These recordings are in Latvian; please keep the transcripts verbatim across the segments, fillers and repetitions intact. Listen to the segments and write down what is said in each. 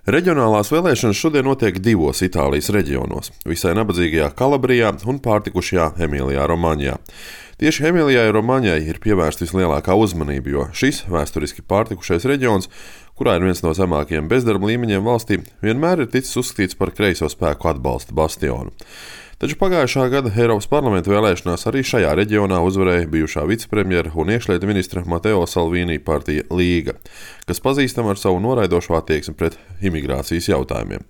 Reģionālās vēlēšanas šodien notiek divos Itālijas reģionos – visai nabadzīgajā Kalabrijā un pārtikušajā Emilijā Romaņā. Tieši Emilijai Romaņai ir pievērsta vislielākā uzmanība, jo šis vēsturiski pārtikušais reģions, kurā ir viens no zemākajiem bezdarba līmeņiem valstī, vienmēr ir ticis uzskatīts par kreiso spēku atbalsta bastionu. Taču pagājušā gada Eiropas parlamenta vēlēšanās arī šajā reģionā uzvarēja bijušā vicepremjera un iekšlietu ministra Mateo Salvini partija Līga, kas pazīstama ar savu noraidošo attieksmi pret imigrācijas jautājumiem.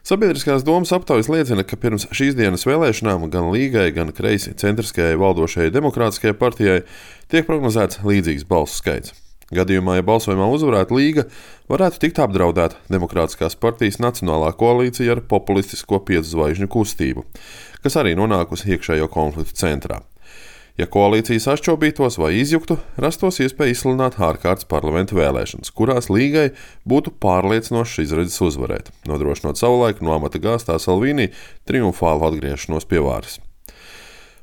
Sabiedriskās domas aptaujas liecina, ka pirms šīs dienas vēlēšanām gan Līgai, gan kreisi centriskajai valdošajai demokrātiskajai partijai tiek prognozēts līdzīgs balsu skaits. Gadījumā, ja balsojumā uzvarētu Līga, varētu tikt apdraudēta Demokrātiskās partijas nacionālā koalīcija ar populistisko piecu zvaigžņu kustību, kas arī nonākusi iekšējo konfliktu centrā. Ja koalīcija sašķobītos vai izjuktu, rastos iespēja izsludināt ārkārtas parlamenta vēlēšanas, kurās Līgai būtu pārliecinošs izredzes uzvarēt, nodrošinot savulaik no amata gāstā Salvini triumfālu atgriešanos pie varas.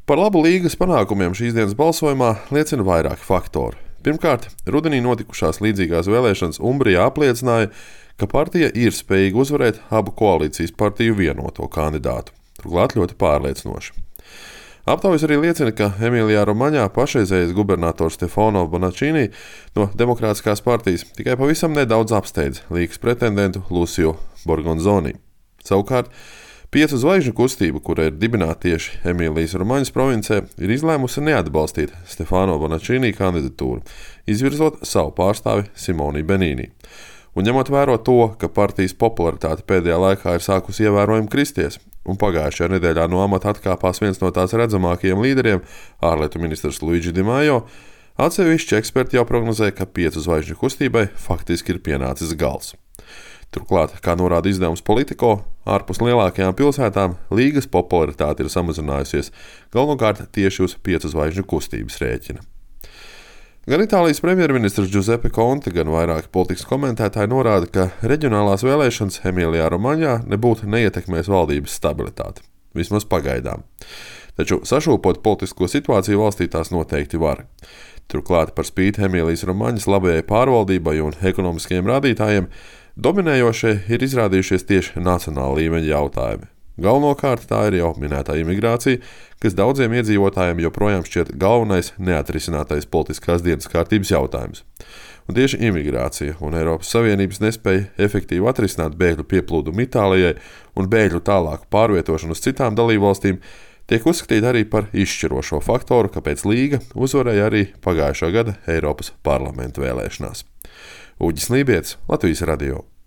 Par labu Līgas panākumiem šīs dienas balsojumā liecina vairāki faktori. Pirmkārt, rudenī notikušās līdzīgās vēlēšanas Umbrijā apliecināja, ka partija ir spējīga uzvarēt abu koalīcijas partiju vienoto kandidātu, turklāt ļoti pārliecinoši. Aptaujas arī liecina, ka Emilijā Romaņā pašreizējais gubernators Stefano Bonaccini no Demokrātiskās partijas tikai pavisam nedaudz apsteidz Līgas pretendentu Lucio Borgonzoni. Savukārt, Piecu zvaigžņu kustība, kura ir dibināta tieši Emīlijas Romaņas provincē, ir izlēmusi neatbalstīt Stefano Bonaccini kandidatūru, izvirzot savu pārstāvi Simoni Benini. Un ņemot vērā to, ka partijas popularitāte pēdējā laikā ir sākusi ievērojami kristies, un pagājušajā nedēļā no amata atkāpās viens no tās redzamākajiem līderiem, ārlietu ministrs Luigi Di Maio, atsevišķi eksperti jau prognozē, ka piecu zvaigžņu kustībai faktiski ir pienācis gals. Turklāt, kā norāda izdevums Politico, ārpus lielākajām pilsētām Līgas popularitāte ir samazinājusies, galvenokārt tieši uz piecu zvaigžņu kustības rēķina. Gan Itālijas premjerministrs Giuseppe Conte, gan vairāki politikas komentētāji norāda, ka reģionālās vēlēšanas Emilijā Romaņā nebūtu neietekmēs valdības stabilitāti, vismaz pagaidām. Taču sašūpot politisko situāciju valstī tās noteikti var. Turklāt par spīti Emīlijas Romaņas labajai pārvaldībai un ekonomiskajiem rādītājiem, dominējošie ir izrādījušies tieši nacionāla līmeņa jautājumi. Galvenokārt tā ir jau minētā imigrācija, kas daudziem iedzīvotājiem joprojām šķiet galvenais neatrisinātais politiskās dienas kārtības jautājums. Un tieši imigrācija un Eiropas Savienības nespēja efektīvi atrisināt bēgļu pieplūdumu Itālijai un bēgļu tālāku pārvietošanu uz citām dalībvalstīm tiek uzskatīta arī par izšķirošo faktoru, kāpēc Līga uzvarēja arī pagājušā gada Eiropas parlamenta vēlēšanās. Uģis Lībietis, Latvijas radio.